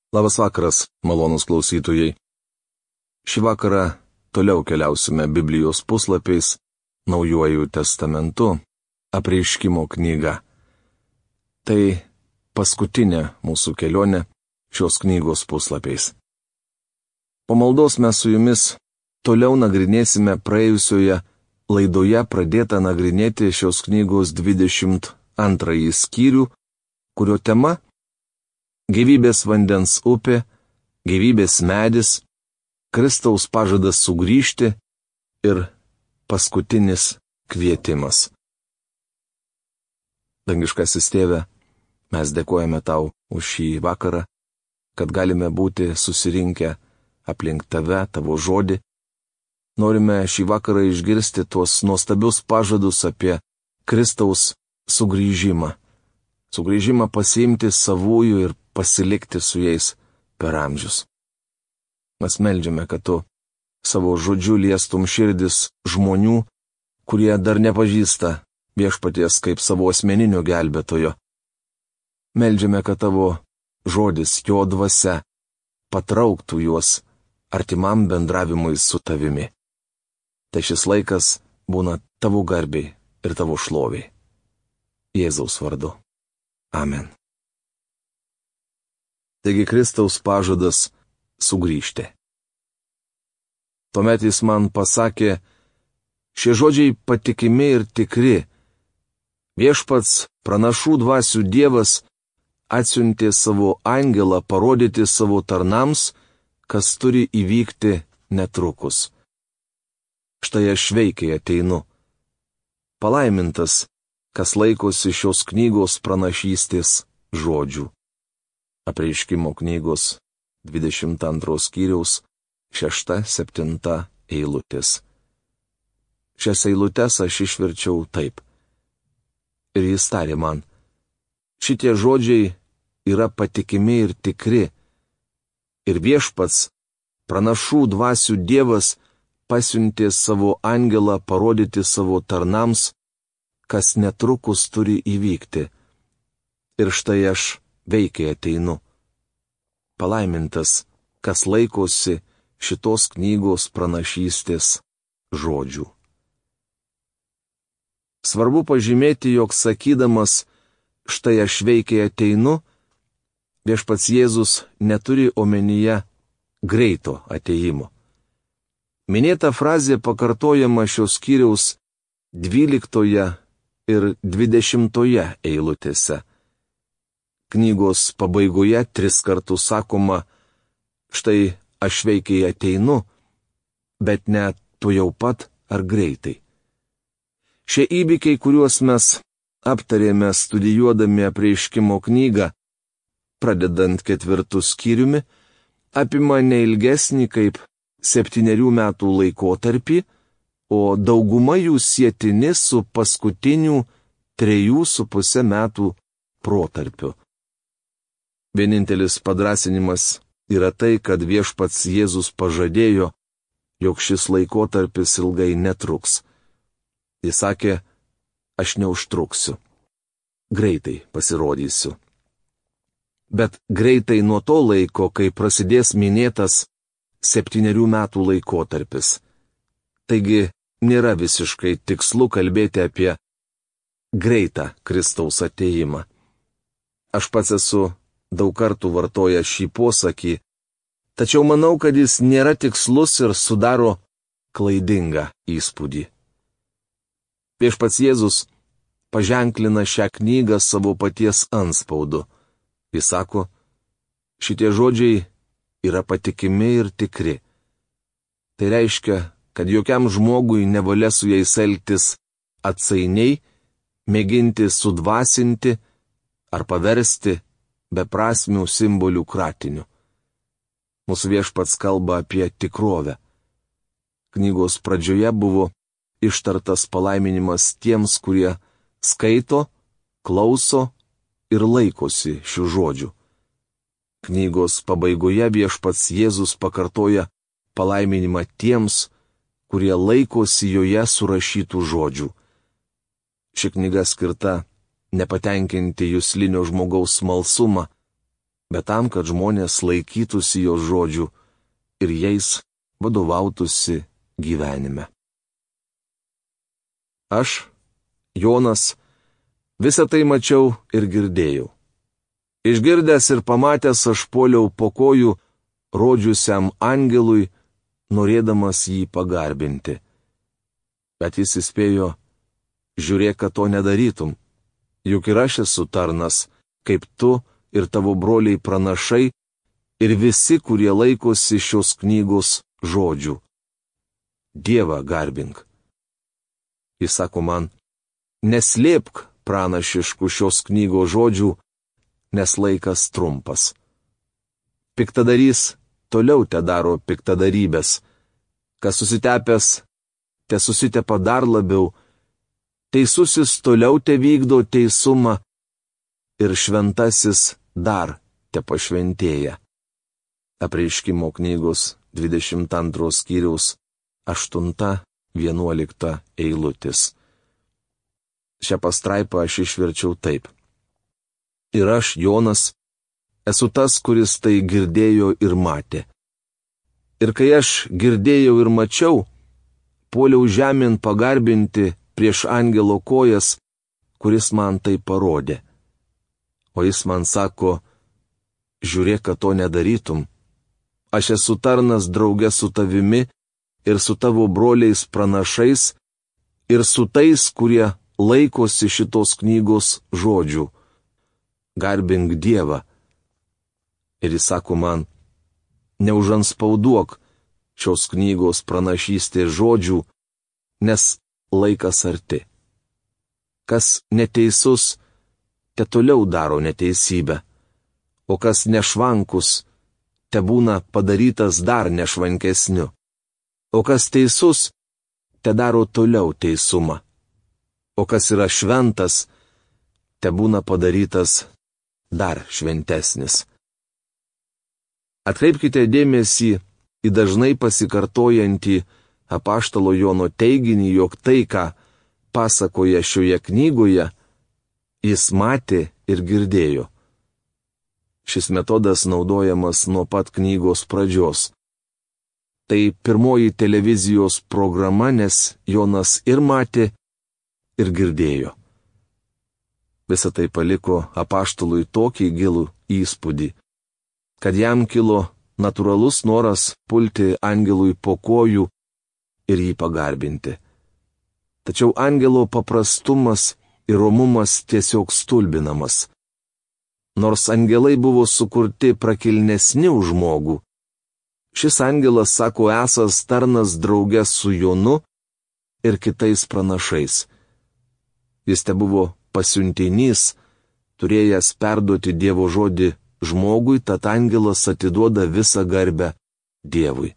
Labas vakaras, malonūs klausytojai. Šį vakarą toliau keliausime Biblijos puslapiais, Naujuoju testamentu, Apreiškimo knyga. Tai paskutinė mūsų kelionė šios knygos puslapiais. Po maldos mes su jumis toliau nagrinėsime praėjusioje laidoje pradėtą nagrinėti šios knygos 22 skyrių, kurio tema – gyvybės vandens upė, gyvybės medis, Kristaus pažadas sugrįžti ir paskutinis kvietimas. Dangiškasis Tėve, mes dėkojame Tau už šį vakarą, kad galime būti susirinkę aplink Tave, Tavo žodį. Norime šį vakarą išgirsti tuos nuostabius pažadus apie Kristaus sugrįžimą. Sugrįžimą pasiimti savųjų ir pasilikti su jais per amžius. Mes meldžiame, kad Tu savo žodžiu liestum širdis žmonių, kurie dar nepažįsta Viešpaties kaip savo asmeninio gelbėtojo. Meldžiame, kad Tavo žodis, Jo dvasia, patrauktų juos artimam bendravimui su Tavimi. Tai šis laikas būna Tavo garbei ir Tavo šloviai. Jėzaus vardu. Amen. Taigi Kristaus pažadas sugrįžti. Tuomet jis man pasakė, šie žodžiai patikimi ir tikri. Viešpats, pranašų dvasių Dievas, atsiuntė savo angelą parodyti savo tarnams, kas turi įvykti netrukus. Štai aš veikiai ateinu. Palaimintas, kas laikosi šios knygos pranašystės žodžių. Apreiškimo knygos 22 skyriaus 6-7 eilutės. Šias eilutes aš išverčiau taip. Ir jis tarė man, šitie žodžiai yra patikimi ir tikri. Ir Viešpats, pranašų dvasių Dievas, pasiuntė savo angelą parodyti savo tarnams, kas netrukus turi įvykti. Ir štai aš veikiai ateinu. Palaimintas, kas laikosi šitos knygos pranašystės žodžių. Svarbu pažymėti, jog sakydamas, štai aš veikiai ateinu, Viešpats Jėzus neturi omenyje greito ateimo. Minėta frazė pakartojama šios skyriaus 12 ir 20 eilutėse. Knygos pabaigoje 3 kartus sakoma, štai aš veikiai ateinu, bet ne tuojau pat ar greitai. Šie įvykiai, kuriuos mes aptarėme studijuodami Apreiškimo knygą, pradedant 4 skyriumi, apima neilgesnį kaip 7 metų laikotarpį, o dauguma jų sietini su paskutinių 3,5 metų protarpiu. Vienintelis padrasinimas yra tai, kad Viešpats Jėzus pažadėjo, jog šis laikotarpis ilgai netruks. Jis sakė, aš neužtruksiu. Greitai pasirodysiu. Bet greitai nuo to laiko, kai prasidės minėtas 7 metų laikotarpis. Taigi, nėra visiškai tikslu kalbėti apie greitą Kristaus atėjimą. Aš pats esu daug kartų vartojęs šį posakį, tačiau manau, kad jis nėra tikslus ir sudaro klaidingą įspūdį. Viešpats Jėzus paženklina šią knygą savo paties antspaudu. Jis sako, šitie žodžiai yra patikimi ir tikri. Tai reiškia, kad jokiam žmogui nevalia su jais elgtis atsainiai, mėginti sudvasinti ar paversti beprasmių simbolių kratiniu. Mūsų Viešpats kalba apie tikrovę. Knygos pradžioje buvo ištartas palaiminimas tiems, kurie skaito, klauso ir laikosi šių žodžių. Knygos pabaigoje Viešpats Jėzus pakartoja palaiminimą tiems, kurie laikosi joje surašytų žodžių. Ši knyga skirta nepatenkinti juslinio žmogaus smalsumą, bet tam, kad žmonės laikytųsi jo žodžių ir jais vadovautųsi gyvenime. Aš, Jonas, visą tai mačiau ir girdėjau. Išgirdęs ir pamatęs aš puoliau po kojų rodžiusiam angelui, norėdamas jį pagarbinti. Bet jis įspėjo, žiūrėk, kad to nedarytum, juk ir aš esu tarnas, kaip tu ir tavo broliai pranašai ir visi, kurie laikosi šios knygos žodžių. Dievą garbink. Jis sako man, neslėpk pranašiškų šios knygos žodžių, nes laikas trumpas. Piktadarys toliau te daro piktadarybės, kas susitepęs, te susitepa dar labiau, teisusis toliau te vykdo teisumą ir šventasis dar te pašventėja. Apreiškimo knygos 22 skyriaus 8-11 eilutės. Šią pastraipą aš išverčiau taip. Ir aš, Jonas, esu tas, kuris tai girdėjo ir matė. Ir kai aš girdėjau ir mačiau, puoliau žemėn pagarbinti prieš angelo kojas, kuris man tai parodė. O jis man sako, žiūrėk, kad to nedarytum. Aš esu tarnas drauge su tavimi ir su tavo broliais pranašais ir su tais, kurie laikosi šitos knygos žodžių. Garbink Dievą. Ir jis sako man, neužanspauduok šios knygos pranašystės žodžių, nes laikas arti. Kas neteisus, te toliau daro neteisybę, o kas nešvankus, te būna padarytas dar nešvankesniu, o kas teisus, te daro toliau teisumą, o kas yra šventas, te būna padarytas dar šventesnis. Atkreipkite dėmesį į dažnai pasikartojantį apaštalo Jono teiginį, jog tai, ką pasakoja šioje knygoje, jis matė ir girdėjo. Šis metodas naudojamas nuo pat knygos pradžios. Tai pirmoji televizijos programa, nes Jonas ir matė, ir girdėjo. Visą tai paliko apaštalui tokį gilų įspūdį, kad jam kilo natūralus noras pulti angelui po kojų ir jį pagarbinti. Tačiau angelo paprastumas ir romumas tiesiog stulbinamas. Nors angelai buvo sukurti prakilnesni už žmogų, šis angelas sako esąs tarnas drauge su Jonu ir kitais pranašais. Jis tebuvo pasiuntinys, turėjęs perduoti Dievo žodį žmogui, tad angelas atiduoda visą garbę Dievui.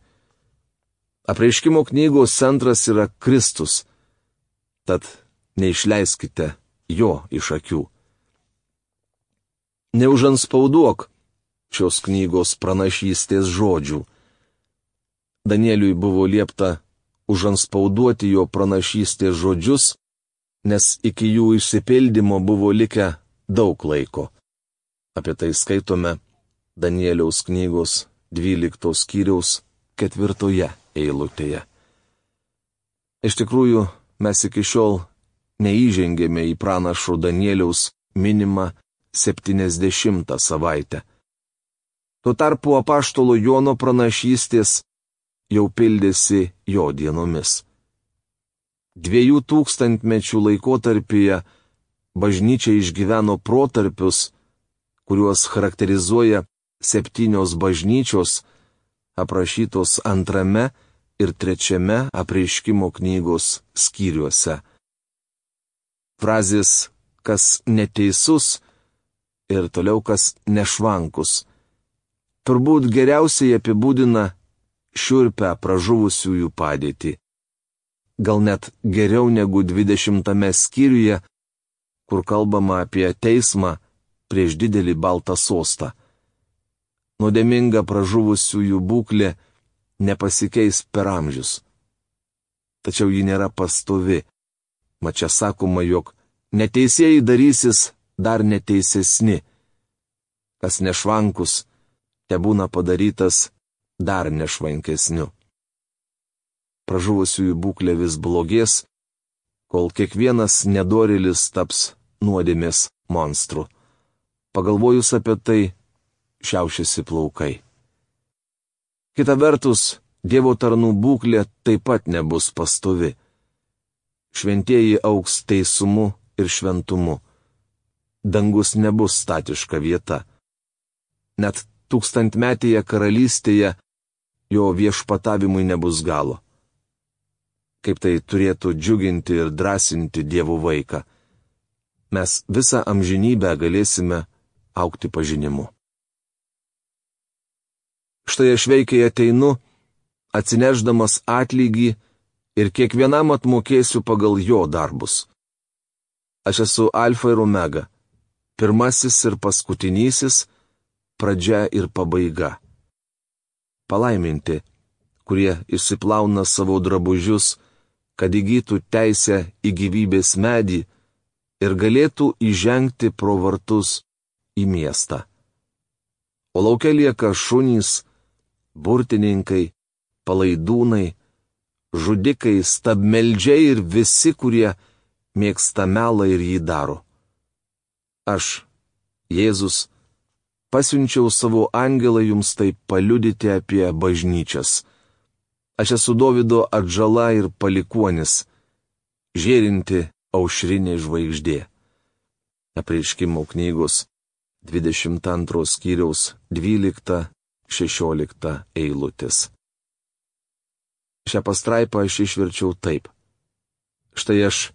Apreiškimo knygos centras yra Kristus, tad neišleiskite jo iš akių. Neužanspauduok šios knygos pranašystės žodžių. Danieliui buvo liepta užanspauduoti jo pranašystės žodžius, nes iki jų išsipildymo buvo likę daug laiko. Apie tai skaitome Danieliaus knygos 12 skyriaus 4 eilutėje. Iš tikrųjų, mes iki šiol neįžengėme į pranašo Danieliaus minimą 70 savaitę. Tuo tarpu apaštalo Jono pranašystės jau pildėsi jo dienomis. 2000 mečių laikotarpyje bažnyčia išgyveno protarpius, kuriuos charakterizuoja 7 bažnyčios, aprašytos 2 ir 3 apreiškimo knygos skyriuose. Frazės kas neteisus ir toliau kas nešvankus turbūt geriausiai apibūdina šiurpią pražuvusiųjų padėtį. Gal net geriau negu 20 skyriuje, kur kalbama apie teismą prieš didelį baltą sostą. Nuodėminga pražuvusiųjų būklė nepasikeis per amžius. Tačiau ji nėra pastovi. Mat čia sakoma, jog neteisėjai darysis dar neteisesni. Kas nešvankus, tebūna padarytas dar nešvankesniu. Pražuvusiųjų būklė vis blogės, kol kiekvienas nedorėlis taps nuodėmės monstru. Pagalvojus apie tai, šiaušiasi plaukai. Kita vertus, Dievo tarnų būklė taip pat nebus pastovi. Šventieji augs teisumu ir šventumu. Dangus nebus statiška vieta. Net tūkstantmetėje karalystėje jo viešpatavimui nebus galo. Kaip tai turėtų džiuginti ir drąsinti Dievo vaiką. Mes visą amžinybę galėsime augti pažinimu. Štai aš veikiai ateinu, atsineždamas atlygį ir kiekvienam atmokėsiu pagal jo darbus. Aš esu Alfa ir Omega, pirmasis ir paskutinysis, pradžia ir pabaiga. Palaiminti, kurie išsiplauna savo drabužius, kad įgytų teisę į gyvybės medį ir galėtų įžengti pro vartus į miestą. O lauke lieka šunys, burtininkai, palaidūnai, žudikai, stabmeldžiai ir visi, kurie mėgsta melą ir jį daro. Aš, Jėzus, pasiunčiau savo angelą jums tai paliudyti apie bažnyčias. Aš esu Dovydo atžala ir palikuonis, žėrinti aušrinė žvaigždė. Apreiškimo knygos 22 skyriaus 12-16 eilutės. Šią pastraipą aš išverčiau taip. Štai aš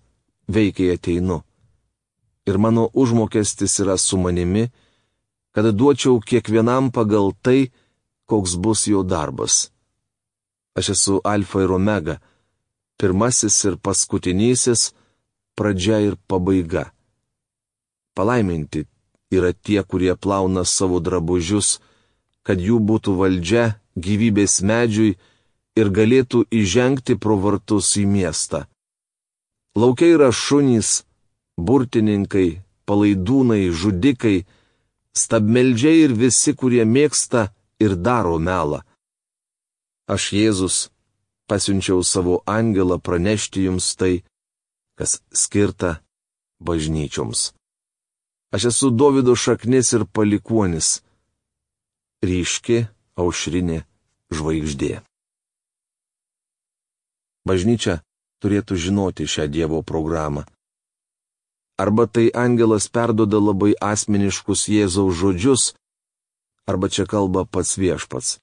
veikiai ateinu. Ir mano užmokestis yra su manimi, kad duočiau kiekvienam pagal tai, koks bus jo darbas. Aš esu Alfa ir Omega, pirmasis ir paskutinysis, pradžia ir pabaiga. Palaiminti yra tie, kurie plauna savo drabužius, kad jų būtų valdžia gyvybės medžiui ir galėtų įžengti pro vartus į miestą. Laukia yra šunys, burtininkai, palaidūnai, žudikai, stabmeldžiai ir visi, kurie mėgsta ir daro melą. Aš, Jėzus, pasiunčiau savo angelą pranešti jums tai, kas skirta bažnyčioms. Aš esu Dovydo šaknis ir palikuonis, ryški aušrinė žvaigždė. Bažnyčia turėtų žinoti šią Dievo programą. Arba tai angelas perduoda labai asmeniškus Jėzaus žodžius, arba čia kalba pats viešpats.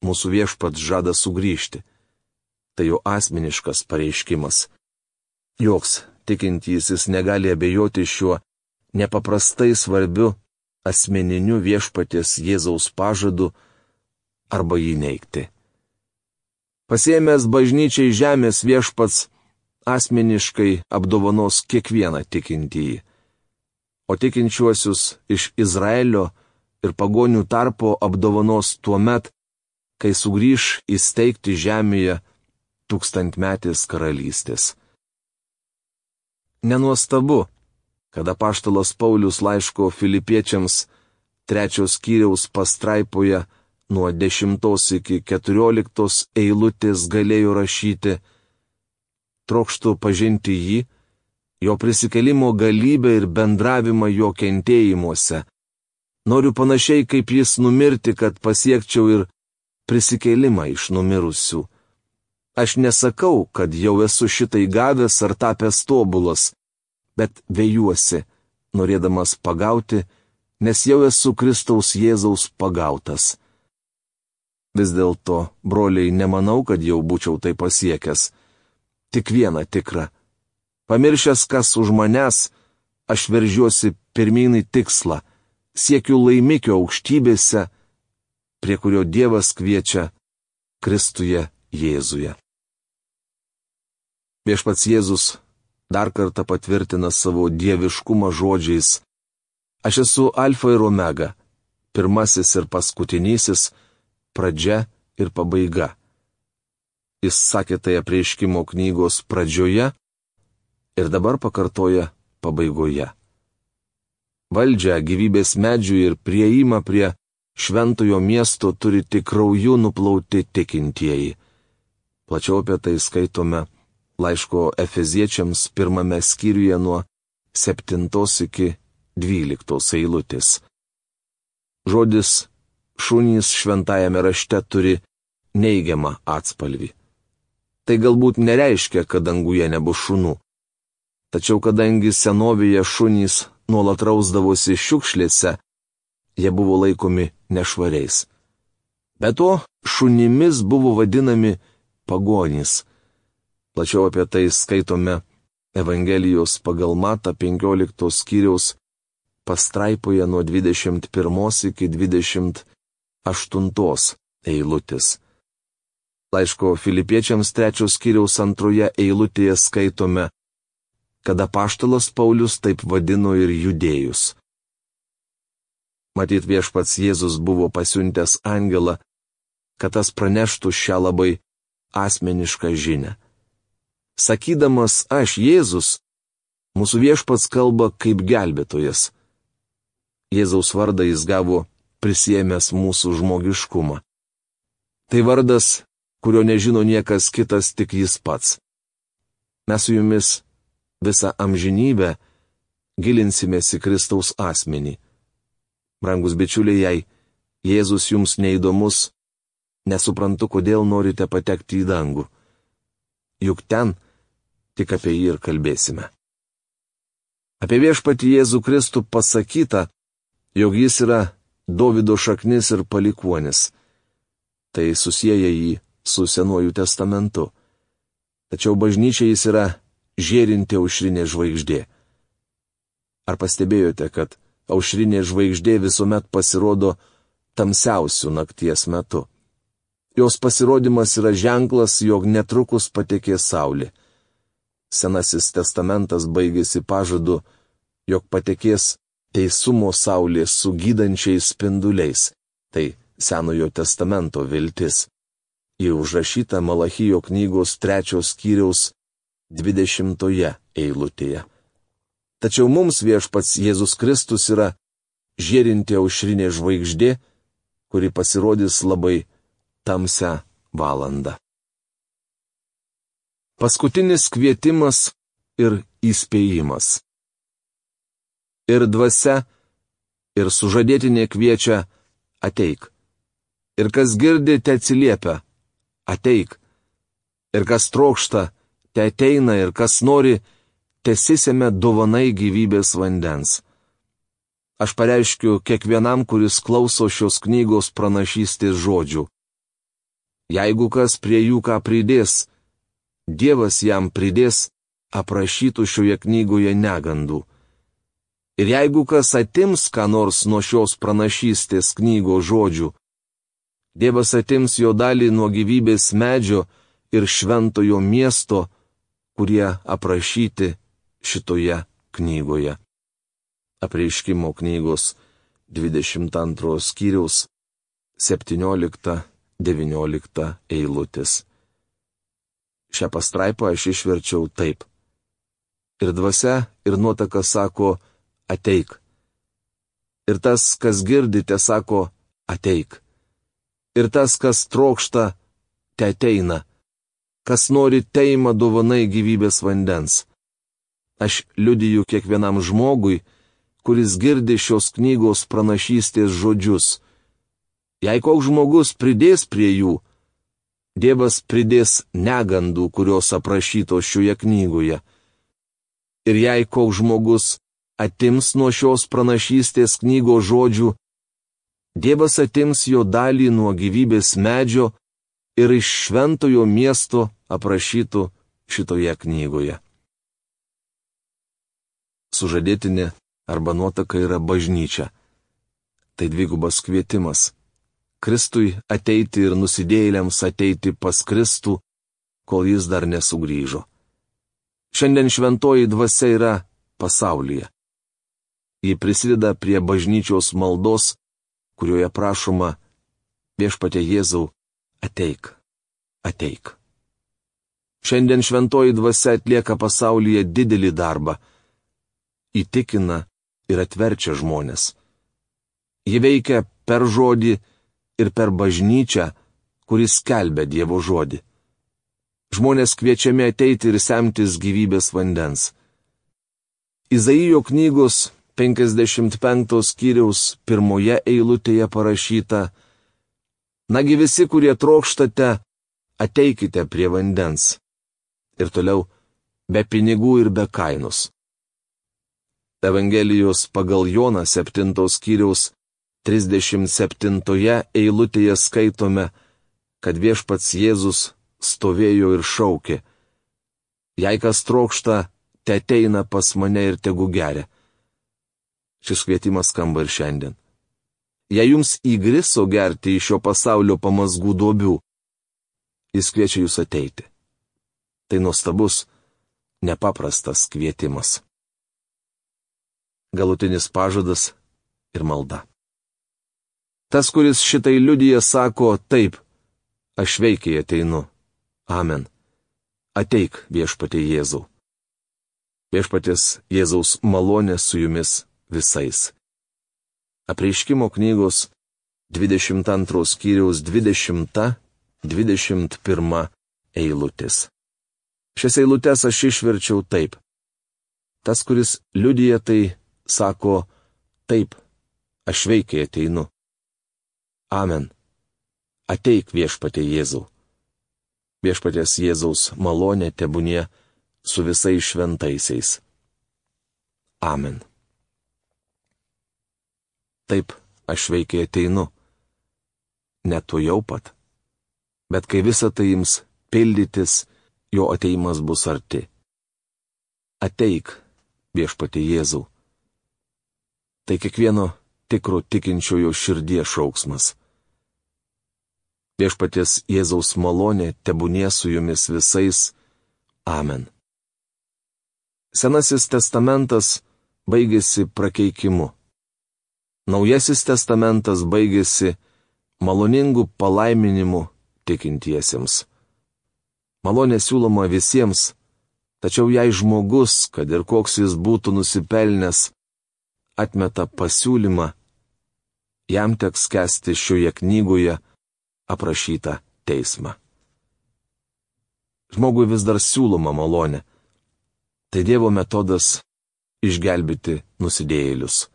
Mūsų viešpats žada sugrįžti. Tai jo asmeniškas pareiškimas. Joks tikintysis negali abejoti šiuo nepaprastai svarbiu asmeniniu viešpaties Jėzaus pažadu arba jį neigti. Pasiėmęs bažnyčiai žemės viešpats asmeniškai apdovanos kiekvieną tikintįjį. O tikinčiuosius iš Izraelio ir pagonių tarpo apdovanos tuomet, kai sugrįš įsteigti žemėje tūkstantmetės karalystės. Nenuostabu, kad apaštalas Paulius laiško Filipiečiams 3 skyriaus pastraipoje nuo 10 iki 14 eilutės galėjo rašyti: trokštu pažinti jį, jo prisikėlimo galybę ir bendravimą jo kentėjimuose. Noriu panašiai kaip jis numirti, kad pasiekčiau ir prisikėlimą iš numirusių. Aš nesakau, kad jau esu šitai gavęs ar tapęs tobulas, bet vejuosi, norėdamas pagauti, nes jau esu Kristaus Jėzaus pagautas. Vis dėlto, broliai, nemanau, kad jau būčiau tai pasiekęs. Tik viena tikra. Pamiršęs, kas už manęs, aš veržiuosi pirmyn į tikslą, siekiu laimikio aukštybėse, prie kurio Dievas kviečia Kristuje Jėzuje. Viešpats Jėzus dar kartą patvirtina savo dieviškumą žodžiais: Aš esu Alfa ir Omega, pirmasis ir paskutinysis, pradžia ir pabaiga. Jis sakė tai apreiškimo knygos pradžioje ir dabar pakartoja pabaigoje. valdžią gyvybės medžių ir prieimą prie šventojo miesto turi tik krauju nuplauti tikintieji. Plačiau apie tai skaitome laiško Efeziečiams 1 skyriuje nuo 7 iki 12 eilutės. Žodis šunys šventajame rašte turi neigiamą atspalvį. Tai galbūt nereiškia, kad danguje nebus šunų. Tačiau kadangi senovėje šunys nuolat rausdavosi šiukšlėse, jie buvo laikomi nešvariais. Be to, šunimis buvo vadinami pagonys. Plačiau apie tai skaitome Evangelijos pagal Matą 15 skyriaus pastraipoje nuo 21 iki 28 eilutės. Laiško Filipiečiams 3 skyriaus 2 eilutėje skaitome, kad apaštalas Paulius taip vadino ir judėjus. Matyt, viešpats Jėzus buvo pasiuntęs angelą, kad tas praneštų šią labai asmenišką žinią. Sakydamas aš Jėzus, mūsų viešpats kalba kaip gelbėtojas. Jėzaus vardą jis gavo prisiėmęs mūsų žmogiškumą. Tai vardas, kurio nežino niekas kitas, tik jis pats. Mes su jumis visą amžinybę gilinsimės į Kristaus asmenį. Brangus bičiuliai, jei Jėzus jums neįdomus, nesuprantu, kodėl norite patekti į dangų. Juk ten tik apie jį ir kalbėsime. Apie viešpatį Jėzų Kristų pasakyta, jog jis yra Dovydo šaknis ir palikuonis. Tai susieja jį su Senuoju testamentu. Tačiau bažnyčia jis yra žėrinti aušrinė žvaigždė. Ar pastebėjote, kad aušrinė žvaigždė visuomet pasirodo tamsiausių nakties metu? Jos pasirodymas yra ženklas, jog netrukus patekės saulė. Senasis testamentas baigėsi pažadu, jog patekės teisumo saulė su gydančiais spinduliais. Tai Senojo testamento viltis. Ji užrašyta Malachijo knygos 3 skyriaus 20 eilutėje. Tačiau mums viešpats Jėzus Kristus yra žėrinti aušrinė žvaigždė, kuri pasirodys labai tamsią valandą. Paskutinis kvietimas ir įspėjimas. Ir dvasia, ir sužadėtinė kviečia ateik. Ir kas girdi, te atsiliepia ateik. Ir kas trokšta, te ateina, ir kas nori, tesisėme dovanai gyvybės vandens. Aš pareiškiu kiekvienam, kuris klauso šios knygos pranašystės žodžių. Jeigu kas prie jų ką pridės, Dievas jam pridės aprašytų šioje knygoje negandų. Ir jeigu kas atims ką nors nuo šios pranašystės knygos žodžių, Dievas atims jo dalį nuo gyvybės medžio ir šventojo miesto, kurie aprašyti šitoje knygoje. Apreiškimo knygos 22 skyriaus 17-19 eilutės. Šią pastraipą aš išverčiau taip. Ir dvasia, ir nuotaka sako, ateik. Ir tas, kas girdite, sako, ateik. Ir tas, kas trokšta, te ateina. Kas nori, teima dovanai gyvybės vandens. Aš liudiju kiekvienam žmogui, kuris girdi šios knygos pranašystės žodžius. Jei koks žmogus pridės prie jų, Dievas pridės negandų, kurios aprašytos šioje knygoje. Ir jei koks žmogus atims nuo šios pranašystės knygos žodžių, Dievas atims jo dalį nuo gyvybės medžio ir iš šventojo miesto aprašytų šitoje knygoje. Sužadėtinė arba nuotaka yra bažnyčia. Tai dvigubas kvietimas. Kristui ateiti ir nusidėjėliams ateiti pas Kristų, kol jis dar nesugrįžo. Šiandien šventoji dvasia yra pasaulyje. Ji prisideda prie bažnyčios maldos, kurioje prašoma viešpatie Jėzau, ateik, ateik. Šiandien šventoji dvasia atlieka pasaulyje didelį darbą. Įtikina ir atverčia žmonės. Ji veikia per žodį ir per bažnyčią, kuris skelbia Dievo žodį. Žmonės kviečiami ateiti ir semtis gyvybės vandens. Izaijo knygos 55 skyriaus 1 eilutėje parašyta: Nagi visi, kurie trokštate, ateikite prie vandens. Ir toliau, be pinigų ir be kainos. Evangelijos pagal Joną 7 skyriaus 37 eilutėje skaitome, kad viešpats Jėzus stovėjo ir šaukė: Jei kas trokšta, te ateina pas mane ir tegu geria. Šis kvietimas skamba ir šiandien. Jei jums įgriso gerti iš šio pasaulio pamazgų duobių, jis kviečia jūs ateiti. Tai nuostabus, nepaprastas kvietimas. Galutinis pažadas ir malda. Tas, kuris šitai liudija, sako: Taip, aš veikiai ateinu. Amen. Ateik, viešpatie Jėzau. Viešpaties Jėzaus malonė su jumis visais. Apreiškimo knygos 22 skyriaus 20-21 eilutės. Šias eilutes aš išverčiau taip. Tas, kuris liudija, tai sako: Taip, aš veikiai ateinu. Amen. Ateik, viešpatie Jėzau. Viešpaties Jėzaus malonė tebūnie su visais šventaisiais. Amen. Taip, aš veikiai ateinu. Ne tuojau pat. Bet kai visa tai ims pildytis, jo ateimas bus arti. Ateik, viešpatie Jėzau. Tai kiekvieno tikro tikinčiojo širdies šauksmas. Viešpaties Jėzaus malonė tebūnie su jumis visais. Amen. Senasis testamentas baigėsi prakeikimu. Naujasis testamentas baigėsi maloningų palaiminimų tikintiesiems. Malonė siūloma visiems, tačiau jei žmogus, kad ir koks jis būtų nusipelnęs, atmeta pasiūlymą, jam teks kęsti šioje knygoje aprašytą teismą. Žmogui vis dar siūloma malonė. Tai Dievo metodas išgelbėti nusidėjėlius.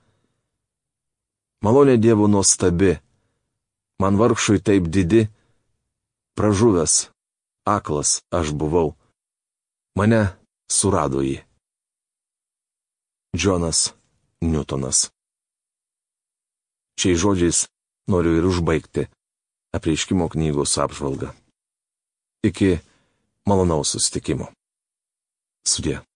Malonė Dievo nuostabi. Man vargšui taip didi, pražuvęs, aklas aš buvau. Mane surado jį. Džonas Newtonas. Šiais žodžiais noriu ir užbaigti apreiškimo knygos apžvalgą. Iki malonaus susitikimo. Sudie.